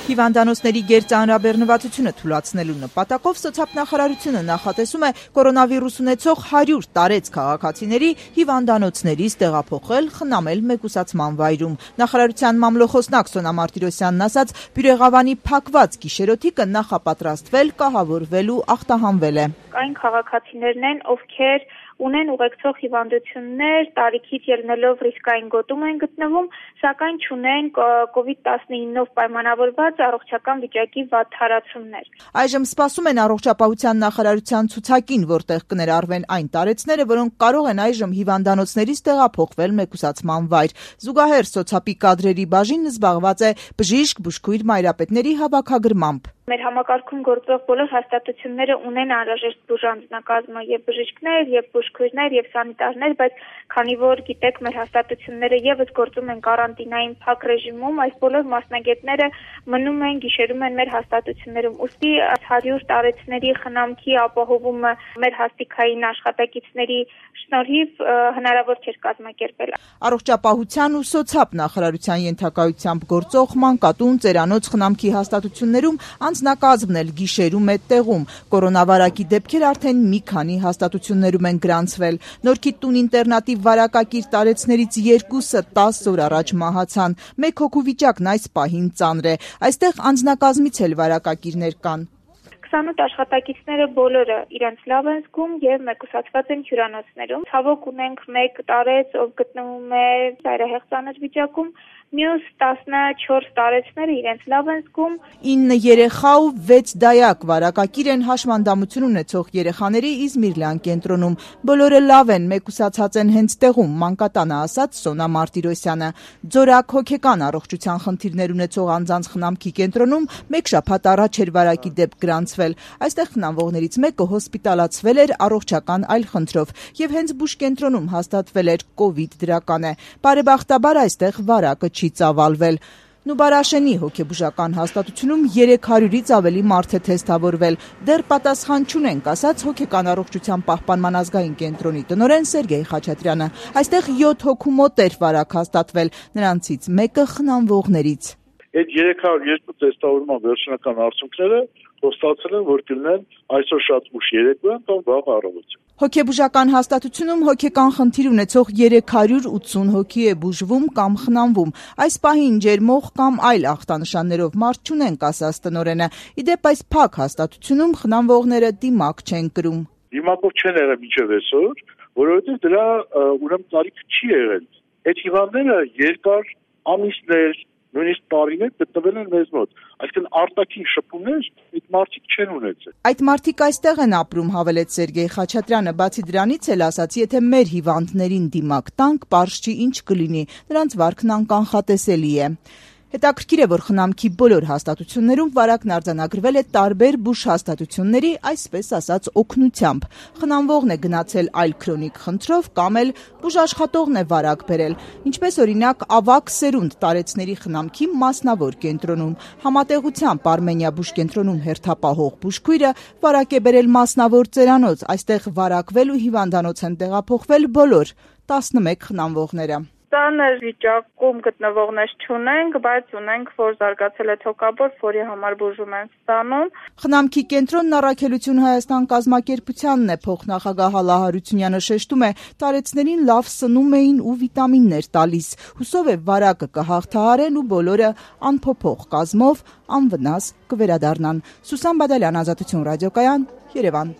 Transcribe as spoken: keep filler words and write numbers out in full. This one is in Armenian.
Հիվանդանոցների գերծանրաբեռնվածությունը թույլատնելու նպատակով սոցիալնախարարությունը նախատեսում է կորոնավիրուս ունեցող հարյուր տարեց քաղաքացիների հիվանդանոցներից տեղափոխել խնամել մեկուսացման վայրում։ Նախարարության մամլոխոսնակ Սոնա Մարտիրոսյանն ասաց, Բյուրեղավանի փակված գիշերօթիկը նախապատրաստվել, կահավորվել ու ախտահանվել է։ Այն քաղաքացիներն են, ովքեր ունեն ուղեկցող հիվանդություններ, տարիքից ելնելով ռիսկային գոտում են գտնվում, սակայն չունեն կովիդ տասնինով պայմանավորված առողջական վիճակի վատթարացումներ։ Այժմ սպասում են առողջապահության նախարարության ցուցակին, որտեղ կներառվեն այն տարեցները, որոնք կարող են այժմ հիվանդանոցներից տեղափոխվել մեկուսացման վայր։ Զուգահեռ սոցիալի կադրերի բաժինն զբաղված է բժիշկ, բուժքույր, մայրապետների հավաքագրմամբ։ Մեր համակարգում գործող բոլոր հաստատությունները ունեն անհրաժեշտ բուժանձնակազմը եւ բժիշկներ, եւ բուժքույրներ, եւ սանիտարներ, բայց քանի որ գիտեք, մեր հաստատությունները եւս գործում են կարանտինային փակ ռեժիմում, այս բոլոր մասնագետները մնում են, գիշերում են մեր հաստատություններում։ Ուստի հարյուր տարեցների խնամքի ապահովումը մեր հաստիկային աշխատակիցների շնորհիվ հնարավոր չէր կազմակերպել։ Առողջապահության ու սոցիալ նախարարության ենթակայությամբ գործող մանկատուն, ծերանոց, խնամքի հաստատություններում անձնակազմն էլ գիշերում է տեղում։ Կորոնավարակի դեպքեր արդեն մի քանի հաստատություններում են գրանցվել։ Նորքի տուն-ինտերնատի վարակակիր տարեցներից երկուսը տասը օր առաջ մահացան։ Մեկ հոգու վիճակն այս պահին ծանր է։ Այստեղ անձնակազմից էլ վարակակիրներ կան։ քսանութ աշխատակիցները բոլորը իրենց լավ են զգում եւ մեկուսացված են հյուրանոցներում։ Ցավոք ունենք մեկ տարեց, ով գտնվում է ծայրահեղ ծանր վիճակում, մյուս տասնչորս տարեցները իրենց լավ են զգում։ ինը երեխա ու վեց դայակ վարակակիր են հաշմանդամություն ունեցող երեխաների Իզմիրլյան կենտրոնում։ Բոլորը լավ են, մեկուսացած են հենց տեղում, մանկատանը ասաց Սոնա Մարտիրոսյանը։ Ձորակ հոգեկան առողջության խնդիրներ ունեցող անձանց խնամքի կենտրոնում մեկ շաբաթ առաջ էր վարակի դեպք գրանցվել։ Այստեղ խնամվողներից մեկը հոսպիտալացվել էր առողջական այլ խնդրով եւ հենց բուժկենտրոնում հաստատվել էր կովիդ դրական է։ Բարեբախտաբար այստեղ վարակը չի ծավալվել։ Նուբարաշենի հոգեբուժական հաստատությունում երեք հարյուրից ավելի մարդ է թեստավորվել։ Դեռ պատասխան չունենք, ասաց հոգեկան առողջության պահպանման ազգային կենտրոնի տնօրեն Սերգեյ Խաչատրյանը։ Այստեղ յոթ հոգու մոտ էր վարակ հաստատվել, նրանցից մեկը խնամվողներից։ Այդ երեք հարյուր երկու թեստավորման վերջնական արդյունքները խոստացել են, որ կլինեն այսօր շատ ուշ երեկոյան կամ վաղ առավոտ։ Հոգեբուժական հաստատությունում հոգեկան խնդիր ունեցող երեք հարյուր ութսուն հոգի է բուժվում կամ խնամվում։ Այս պահին ջերմող կամ այլ ախտանշաններով մարդ չունենք, ասաց տնօրենը։ Իդեպ այս փակ հաստատությունում խնամվողները դիմակ չեն կրում։ Դիմակով չեն եղել մինչև այսօր, որովհետև դրա ուրեմն տարիք չի եղել։ Այդ հիվանդները երկար ամիսներ, նույնիսկ տարիներ գտնվել են մեզ մոտ, այսինքն արտաքին շփումներ այդ մարդիկ չեն ունեցել։ Այդ մարդիկ այստեղ են ապրում, հավելեց Սերգեյ Խաչատրյանը, բացի դրանից էլ ասաց, եթե մեր հիվանդներին դիմակ տանք, պարզ չի ինչ կլինի, նրանց վարքն անկանխատեսելի է։ Հետաքրքիր է, որ խնամքի բոլոր հաստատություններում վարակն արձանագրվել է տարբեր բուժհաստատությունների, այսպես ասած, օգնությամբ։ Խնամվողն է գնացել այլ քրոնիկ խնդրով կամ էլ բուժաշխատողն է վարակ բերել, ինչպես օրինակ ավագ սերունդ տարեցների խնամքի մասնավոր կենտրոնում։ Համատեղությամբ Արմենիա բուժկենտրոնում հերթապահող բուժքույրը վարակ է բերել մասնավոր ծերանոց, այստեղ վարակվել ու հիվանդանոց են տեղափոխվել բոլոր տասնմեկ խնամվողները։ Ծանր վիճակում գտնվողներ չունենք, բայց ունենք, որ զարգացել է թոկաբոր, որի համար բուժում են ստանում։ Խնամքի կենտրոնն Առաքելություն Հայաստան կազմակերպությանն է, փոխնախագահ Հալա Հարությունյանը շեշտում է, տարեցներին լավ սնում էին ու վիտամիններ տալիս։ Հուսով է վարակը կհաղթահարեն ու բոլորը անփոփոխ կազմով անվնաս կվերադառնան։ Սուսան Բադալյան, Ազատություն ռադիոկայան, Երևան։